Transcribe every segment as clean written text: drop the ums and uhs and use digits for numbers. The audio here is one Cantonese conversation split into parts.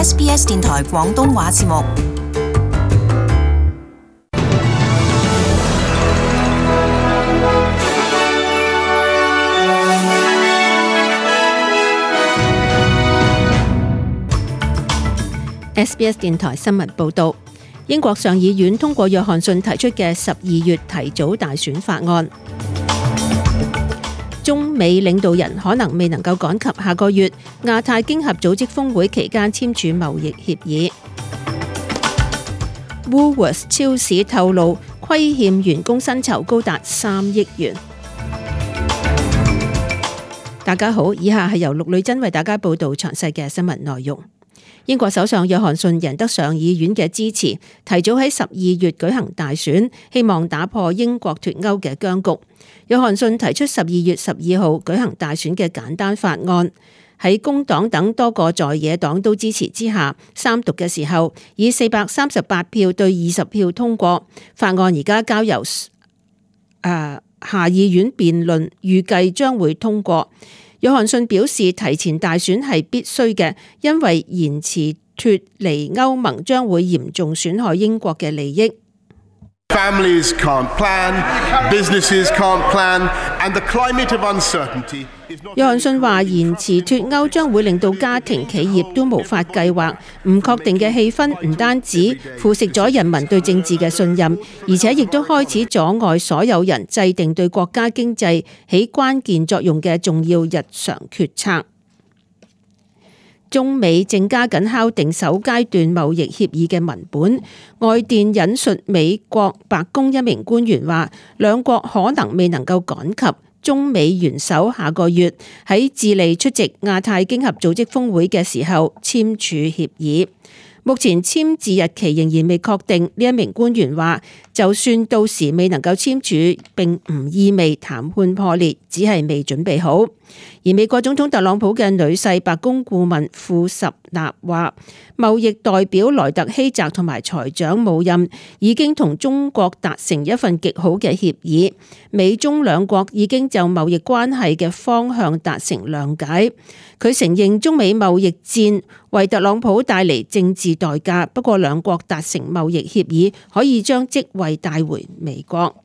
SBS 電台廣東話節目。SBS 電台新聞報導，英國上議院通過約翰遜提出嘅12月提早大選法案。中美領導人可能未能夠趕及下個月亞太經合組織峰會期間簽署貿易協議。Woolworths 超市透露虧欠員工薪酬高達3億元。大家好，以下係由陸女珍為大家報導詳細嘅新聞內容。英國首相約翰遜贏得上議院嘅支持，提早喺12月舉行大選，希望打破英國脫歐嘅僵局。約翰遜提出12月12號舉行大選嘅簡單法案，喺工黨等多個在野黨都支持之下，三讀嘅時候以438票對20票通過。法案而家交由下議院辯論，預計將會通過。約翰遜表示，提前大選係必須嘅，因為延遲脫離歐盟將會嚴重損害英國嘅利益。Families can't plan, businesses can't plan, and the climate of uncertainty is not. 約翰遜話，延遲脫歐將會令到家庭企業都無法計劃，唔確定嘅氣氛唔單止腐蝕咗人民對政治嘅信任，而且亦都開始阻礙所有人制定對國家經濟起關鍵作用嘅重要日常決策。中美正加緊敲定首階段貿易協議嘅文本。外電引述美國白宮一名官員話，兩國可能未能夠趕及中美元首下個月喺智利出席亞太經合組織峰會嘅時候簽署協議。目前簽字日期仍然未確定。呢一名官員話，就算到時未能夠簽署，並唔意味談判破裂，只係未準備好。而美國總統特朗普嘅女婿白宮顧問庫什納話，貿易代表萊特希澤同埋財長姆任已經同中國達成一份極好嘅協議，美中兩國已經就貿易關係嘅方向達成諒解。佢承認中美貿易戰為特朗普帶嚟政治代價，不過兩國達成貿易協議可以將職位帶回美國。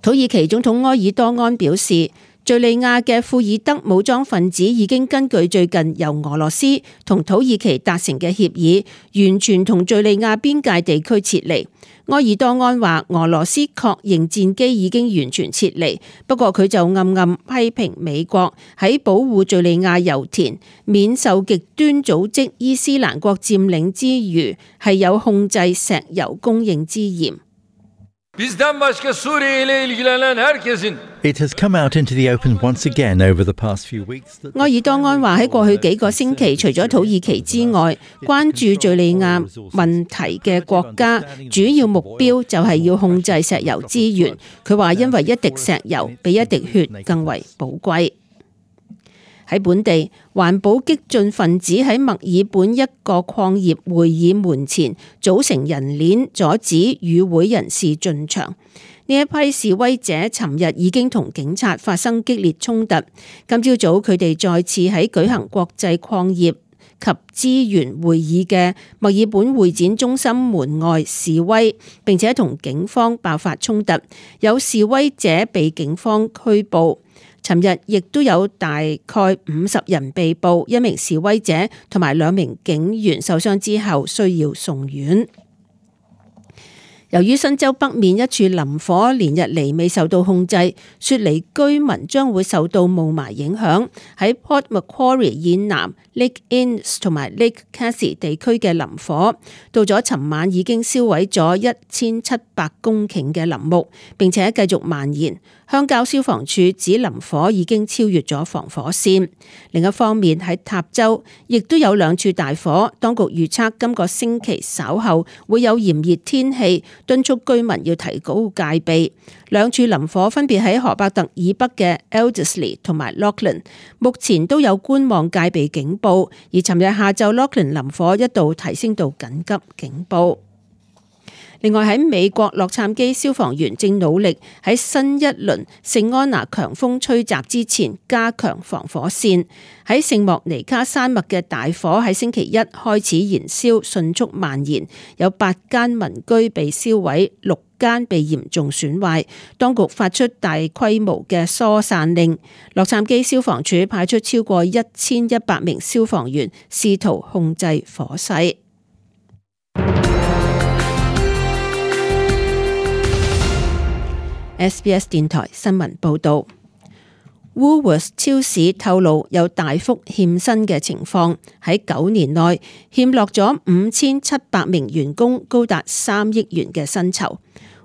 土耳其總統埃爾多安表示，敘利亞嘅庫爾德武裝分子已經根據最近由俄羅斯同土耳其達成嘅協議，完全同敘利亞邊界地區撤離。埃爾多安話，俄羅斯確認戰機已經完全撤離，不過佢就暗暗批評美國喺保護敘利亞油田免受極端組織伊斯蘭國佔領之餘，係有控制石油供應之嫌。It has come out into the open once again over the past few weeks. 埃爾多安話，喺過去幾個星期，除咗土耳其之外，關注敘利亞問題嘅國家主要目標就係要控制石油資源。佢話，因為一滴石油比一滴血更為寶貴。喺本地，環保激進分子喺墨爾本一個礦業會議門前組成人鏈，阻止與會人士進場。呢一批示威者尋日已經同警察發生激烈衝突。今朝早佢哋再次喺舉行國際礦業及資源會議嘅墨爾本會展中心門外示威，並且同警方爆發衝突，有示威者被警方拘捕。尋日亦都有大概50人被捕，一名示威者同埋2名警員受傷之後需要送院。由於新州北面一處林火連日嚟未受到控制，雪梨居民將會受到霧霾影響。喺 Port Macquarie 以南 Lake Innes 同埋 Lake Cassidy 地區嘅林火，到咗尋晚已經燒毀咗1700公頃嘅林木，並且繼續蔓延。鄉郊消防處指林火已經超越咗防火線。另一方面，喺塔州亦都有2處大火，當局預測今個星期稍後會有炎熱天氣，敦促居民要提高戒備。2處林火分別喺河伯特以北嘅 Elderslie 同埋 Lachlan， 目前都有觀望戒備警報，而尋日下晝 Lachlan 林火一度提升到緊急警報。另外喺美國，洛杉磯消防員正努力喺新一輪聖安娜強風吹襲之前加強防火線。喺聖莫尼卡山脈嘅大火喺星期一開始燃燒，迅速蔓延，有8間民居被燒毀，6間被嚴重損壞。當局發出大規模嘅疏散令。洛杉磯消防處派出超過1100名消防員，試圖控制火勢。SBS 電台新聞報道。Woolworths 超市透露有大幅欠薪嘅情況，喺9年內欠落咗5700名員工高達3億元嘅薪酬。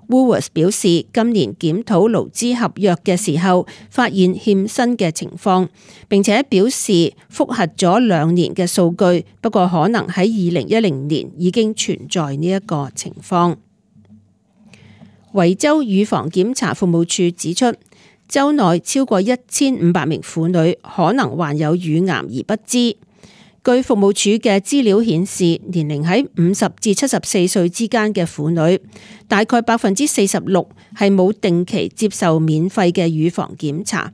Woolworths 表示，今年檢討勞資合約嘅時候，發現欠薪嘅情況，並且表示複核咗2年嘅數據，不過可能喺2010年已經存在呢一個情況。維州乳房檢查服務處指出，州內超過1500名婦女可能患有乳癌而不知。據服務處嘅資料顯示，年齡喺50至74歲之間嘅婦女，大概46%係冇定期接受免費嘅乳房檢查。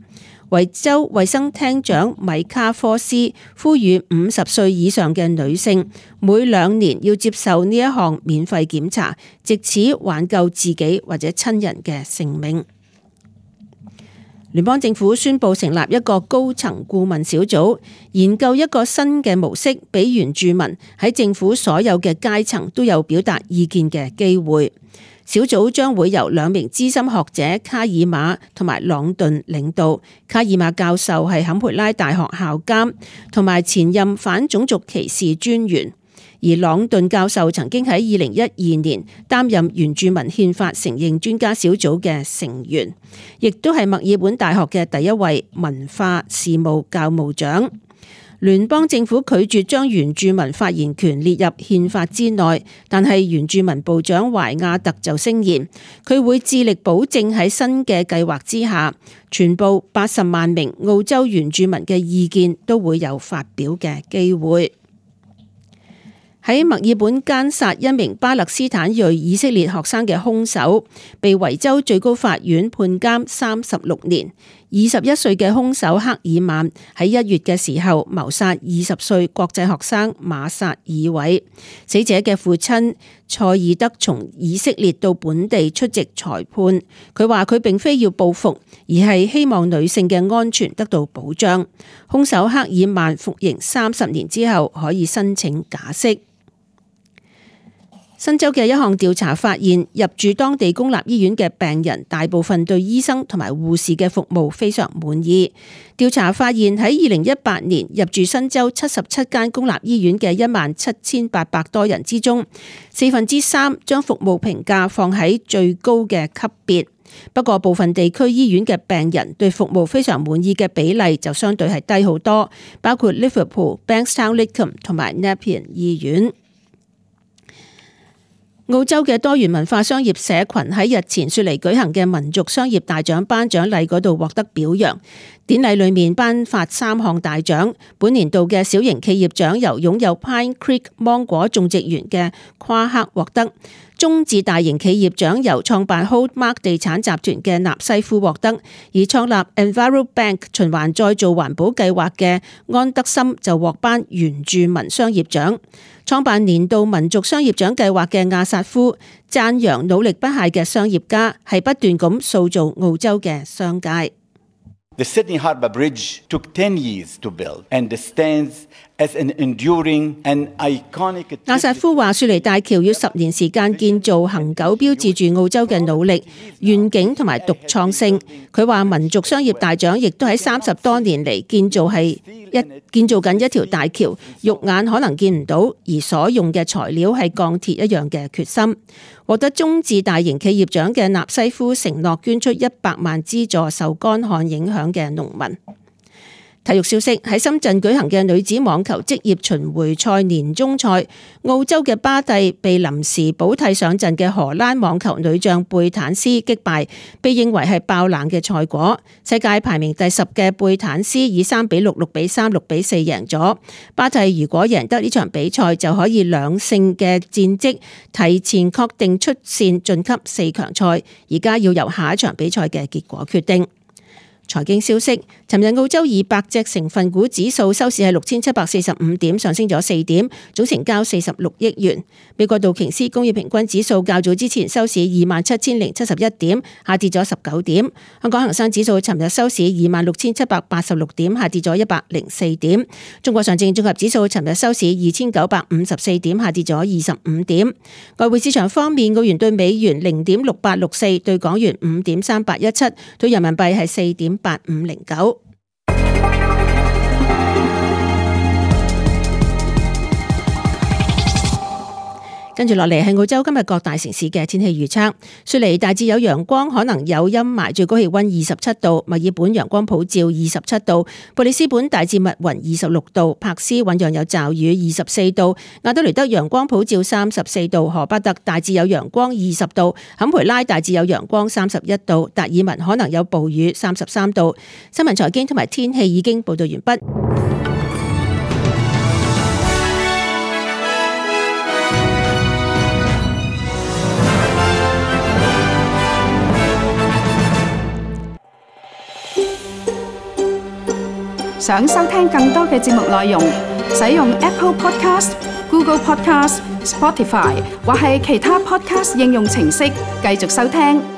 維州衛生廳長米卡科斯呼籲50歲以上嘅女性每2年要接受呢一項免費檢查，藉此挽救自己或者親人嘅性命。聯邦政府宣布成立一個高層顧問小組，研究一個新嘅模式，俾原住民喺政府所有嘅階層都有表達意見嘅機會。小組將會由2名資深學者卡爾馬同埋朗頓領導。卡爾馬教授係坎培拉大學校監同埋前任反種族歧視專員，而朗頓教授曾經喺2012年擔任原住民憲法承認專家小組嘅成員，亦都係墨爾本大學嘅第一位文化事務教務長。聯邦政府拒絕將原住民發言權列入憲法之內，但係原住民部長懷亞特就聲言，佢會致力保證喺新嘅計劃之下，全部80萬名澳洲原住民嘅意見都會有發表嘅機會。喺墨爾本姦殺一名巴勒斯坦裔以色列學生嘅兇手，被維州最高法院判監36年。21歲嘅兇手克爾曼喺1月嘅時候謀殺20歲國際學生馬薩爾偉。死者嘅父親塞爾德從以色列到本地出席裁判，佢話佢並非要報復，而係希望女性嘅安全得到保障。兇手克爾曼服刑30年之後可以申請假釋。新州嘅一項調查發現，入住當地公立醫院嘅病人大部分對醫生同埋護士嘅服務非常滿意。調查發現喺2018年入住新州77間公立醫院嘅17800多人之中，3/4將服務評價放喺最高嘅級別。不過部分地區醫院嘅病人對服務非常滿意嘅比例就相對係低好多，包括 Liverpool、Bankstown-Lidcombe 同埋 Nepean 醫院。澳洲嘅多元文化商業社群喺日前雪梨舉行嘅民族商業大獎頒獎禮嗰度獲得表揚。典禮裏面頒發3項大獎，本年度嘅小型企業獎由擁有 Pine Creek 芒果種植園嘅夸克獲得，中至大型企業獎由創辦 Holdmark 地產集團嘅納西夫獲得，而創立 EnviroBank 循環再造環保計劃嘅安德森就獲頒原住民商業獎。創辦年度民族商業獎計劃嘅亞薩夫讚揚努力不懈嘅商業家係不斷咁塑造澳洲嘅商界。The Sydney Harbour Bridge took 10 years to build and stands as an enduring and iconic. 亞薩夫話：雪梨大橋要10年時間建造，恒久標誌住澳洲嘅努力、願景同埋獨創性。佢話民族商業大獎亦都喺30多年嚟建造緊一條大橋，肉眼可能見唔到，而所用嘅材料係鋼鐵一樣嘅決心。獲得中至大型企業獎嘅納西夫承諾捐出100萬資助受乾旱影響嘅農民。體育消息，喺深圳舉行嘅女子網球職業巡迴賽年終賽，澳洲嘅巴蒂被臨時補替上陣嘅荷蘭網球女將貝坦斯擊敗，被認為係爆冷嘅賽果。世界排名第10嘅貝坦斯以3-6、6-3、6-4贏咗。巴蒂如果贏得呢場比賽，就可以2勝嘅戰績，提前確定出線晉級4強賽。而家要由下一場比賽嘅結果決定。財經消息，尋日澳洲200隻成分股指數收市係6745點，上升咗4點，總成交46億元。美國道瓊斯工業平均指數較早之前收市27071點，下跌咗19點。香港恒生指數尋日收市26786點，下跌咗104點。中國上證綜合指數尋日收市2954點，下跌咗25點。外匯市場方面，澳元對美元0.6864，對港元5.3817，對人民幣係4.8509。跟住落嚟係澳洲今日各大城市嘅天氣預測。雪梨大致有陽光，可能有陰霾，最高氣溫27度；墨爾本陽光普照27度；布里斯本大致密雲26度；柏斯醞釀有驟雨24度；亞德雷德陽光普照34度；荷巴特大致有陽光20度；坎培拉大致有陽光31度；達爾文可能有暴雨33度。新聞財經同埋天氣已經報道完畢。想收聽更多嘅節目內容，使用 Apple Podcast、Google Podcast、Spotify 或係其他 Podcast 應用程式繼續收聽。